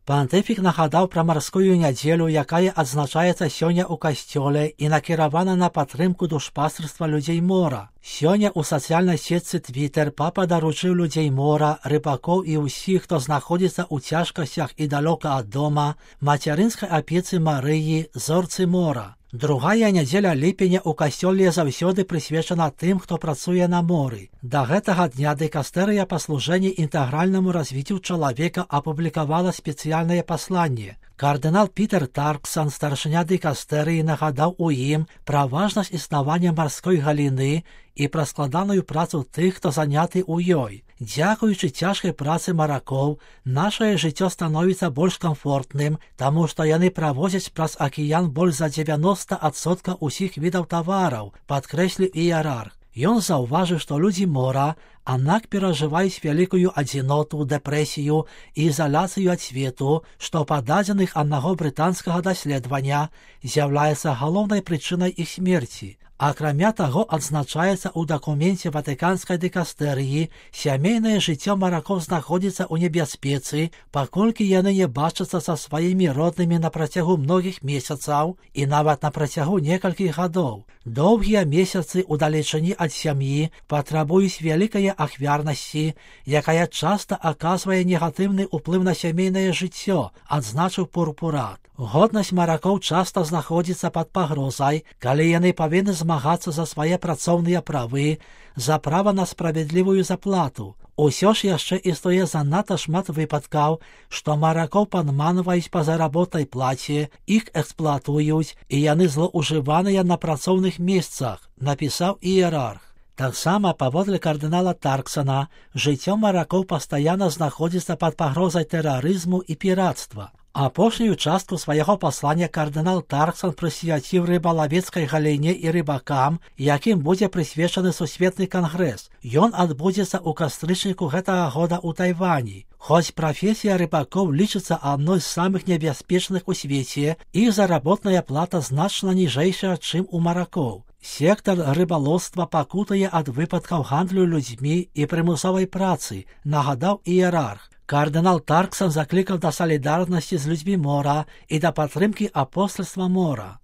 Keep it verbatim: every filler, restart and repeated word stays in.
Пантыфік нагадаў пра марскую нядзелю, якая адзначаецца сёння ў касцёле і накіравана на падтрымку душпастырства людзей мора. Сёння ў сацыяльнай сетцы Twitter папа даручыў людзей мора, рыбакоў і ўсіх, хто знаходзіцца ў цяжкасцях і далёка ад дома, мацярынскай апецы Марыі, зорцы мора. Другая нядзеля ліпеня ў касцёле заўсёды прысвечана тым, хто працуе на моры. Да гэтага дня дыкастэрыя па служэнні інтэгральнаму развіццю чалавека апублікавала спецыяльнае пасланне. Кардынал Пітер Тарксан, старшыня дыкастэрыі, нагадаў у ім пра важнасць існавання марской галіны і пра складаную працу тых, хто заняты ў ёй. Дзякуючы цяжкай працы маракоў, нашае жыццё становіцца больш камфортным, таму што яны правозяць праз акіян больш за дзевяноста адсоткаў усіх відаў тавараў, падкрэсліў іерарх. Ён заўважыў, што людзі мора, аднак перажываюць вялікую адзіноту, дэпрэсію і ізаляцыю ад свету, што па дадзеных аднаго брытанскага даследавання з'яўляецца галоўнай прычынай іх смерці. Акрамя таго, адзначаецца ў дакуменце ватыканскай дыкастэрыі, сямейнае жыццё маракоў знаходзіцца ў небяспецы, паколькі яны не бачацца са сваімі роднымі на працягу многіх месяцаў і нават на працягу некалькіх гадоў. Доўгія месяцы ўдалечыні ад сям'і патрабуюць вялікай ахвярнасці, якая часта аказвае негатыўны ўплыў на сямейнае жыццё, адзначыў Пурпурат. Годнасць маракоў часта знаходзіцца пад пагрозай, калі яны павінны змагацца за свае працоўныя правы, за права на справядлівую заплату. Усё ж яшчэ існуе занадта шмат выпадкаў, што маракоў падманваюць па заработнай плаце, іх эксплуатуюць і яны злоўжываныя на працоўных месцах, напісаў іерарх. Таксама, паводле кардынала Тарксана, жыццё маракоў пастаянна знаходзіцца пад пагрозай тэрарызму і пірацтва. Апошнюю частку свайго паслання кардынал Тарксан прысвяціў рыбалавецкай галіне і рыбакам, якім будзе прысвечаны сусветны кангрэс. Ён адбудзецца ў кастрычніку гэтага года ў Тайвані. Хоць прафесія рыбакоў лічыцца адной з самых небяспечных у свеце, іх заработная плата значна ніжэйшая, чым у маракоў. Сектар рыбалоўства пакутае ад выпадкаў гандлю людзьмі і прымусовай працы, нагадаў іерарх. Кардынал Тарксан заклікаў да салідарнасці з людзьмі мора і да падтрымкі апостальства мора.